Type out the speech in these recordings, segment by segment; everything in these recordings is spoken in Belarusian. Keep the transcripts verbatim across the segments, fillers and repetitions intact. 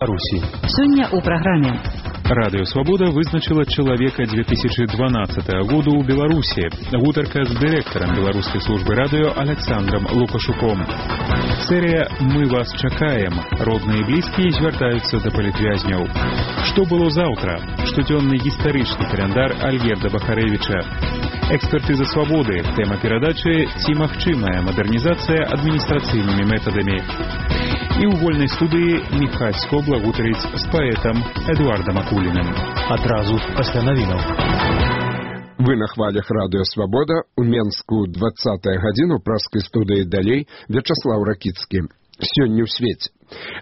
Руси. Сёння ў праграме. Радыё Свабода вызначыла чалавека две тысячи дванаццатага году ў Беларусі. Гутарка з дырэктарам беларускай службы радыё Александром Лукашуком. Серыя «Мы вас чакаем». Родныя і блізкія звяртаюцца да палітвязняў. Што было заўтра? Штодзённы гістарычны каляндар Альгерда Бахарэвіча. Экспертыза свабоды. Тэма перадачы «Ці магчымая мадэрнізацыя адміністрацыйнымі метадамі». І ў вольнай студыі Міхась Скобла гутарыць з паэтам Эдуардам Акуліным. Адразу пасля навінаў. Вы на хвалях радыё Свабода. У Менску двадцатая гадзіна ў праскай студыі далей Вячаслаў Ракіцкі. Сёння ў свеце.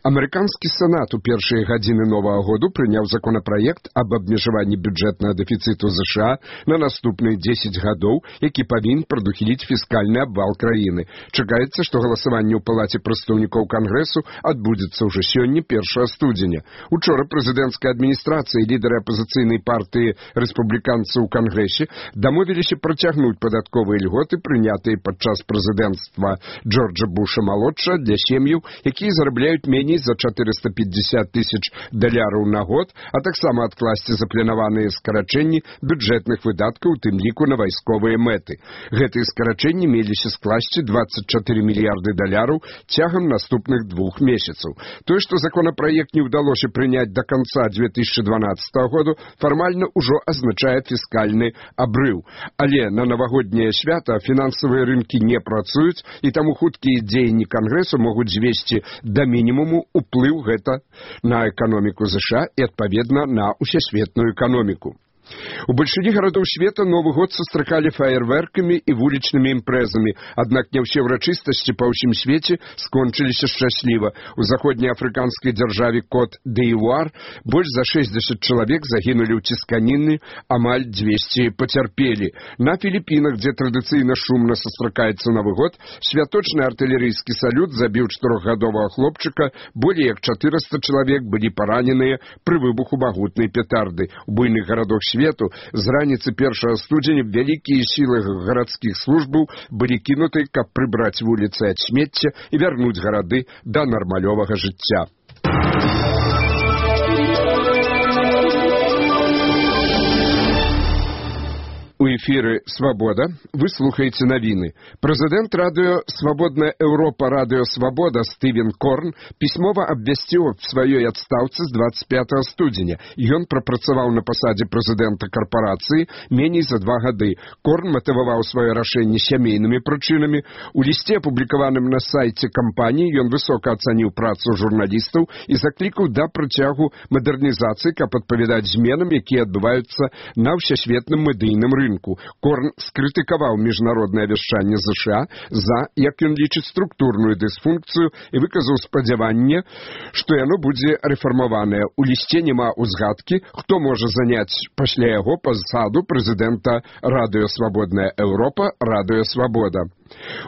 Амерыканскі сенат у першыя гадзіны новага году прыняў законапраект аб абмежаванні бюджэтнага дэфіцыту ЗША на наступныя дзесяць гадоў, які павінен прадухіліць фіскальны абвал краіны. Чакаецца, што галасаванне ў палаце прадстаўнікоў Кангрэсу адбудзецца ўжо сёння, першага студзеня. Учора прэзідэнцкая адміністрацыя і лідары апазіцыйнай партыі рэспубліканцаў у Кангрэсе дамовіліся працягнуць падатковыя льготы, прынятыя падчас прэзідэнцтва Джорджа Буша-малодшага для сем'яў, якія зарабляюць меней за чатырыста пятьдесят тысяч даляраў на год, а таксама адкласці запланаваныя скарачэнні бюджэтных выдаткаў, у тым ліку на вайсковыя мэты. Гэтыя скарачэнні меліся скласці двадцать четыре мільярды даляраў цягам наступных двух месяцаў. Тое, што законапраект не ўдалося прыняць да канца две тысячи дванаццатага году, фармальна ўжо азначае фіскальны абрыў. Але на навагодняе свята фінансавыя рынкі не працуюць, і таму хуткія дзеянні Кангрэсу могуць звесці да мінімуму уплыў гэта на эканоміку ЗША і, адпаведна, на ўсесветную эканоміку. У бальшыні гарадоў света Новы год сустракалі фаерверкамі і вулічнымі імпрэзамі, аднак не ўсе ўрачыстасці па ўсім свеце скончыліся шчасліва. У заходнеафрыканскай дзяржаве Кот-д'Івуар больш за шэсцьдзесят чалавек загінулі ў цісканіны, амаль дзвесце пацярпелі. На Філіпінах, дзе традыцыйна шумна сустракаецца Новы год, святочны артылерыйскі салют забіў чатырохгадовага хлопчыка, болей як чатырыста чалавек былі параненыя пры выбуху магутнай петарды. У буйных гарадах свету з раніцы першага студзеня вялікія сілы гарадскіх службаў былі кінуты, каб прыбраць вуліцы ад смецця і вярнуць гарады да нармалёвага жыцця. У эфіры «Свабода» вы слухаеце навіны. Прэзідэнт радыё «Свабодная Еўропа» радыё «Свабода» Стывен Корн пісьмова абвясціў аб сваёй адстаўцы з двадцать пятага студзеня. Ён прапрацаваў на пасадзе прэзідэнта карпорацыі меней за два гады. Корн матываваў сваё рашэнне сямейнымі прычынамі. У лісце, апублікаваным на сайце кампаніі, ён высока ацаніў працу журналістаў і заклікаў да працягу мадэрнізацыі, каб адпавядаць зменам, якія адбываюцца на ўсесветным медыйным рынку. Корн скрытыкаваў міжнароднае вяшчанне ЗША за, як ён лічыць, структурную дысфункцыю і выказаў спадзяванне, што яно будзе рэфармаванае. У лісце няма узгадкі, хто можа заняць пасля яго пасаду прэзідэнта радыё «Свабодная Еўропа» радыё «Свабода».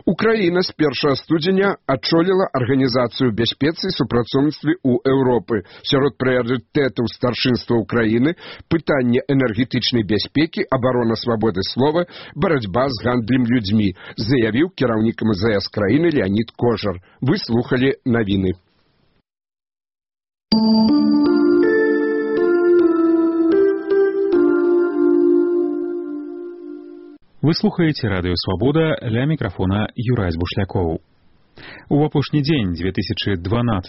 Украіна з першага студзеня адчоліла арганізацыю бяспецы і супрацоўніцтве ў Еўропы. Сярод прыярытэтаў старшынства Украіны пытанне энергетычнай бяспекі, абарона свабоды слова, барацьба з гандлем людзьмі, заявіў кіраўнік эм зэ эс краіны Леонід Кожар. Вы слухалі навіны. Вы слухаеце радыё «Свабода», ля мікрафона Юрай Бушлякоў. У апошні дзень две тысячи дванаццатага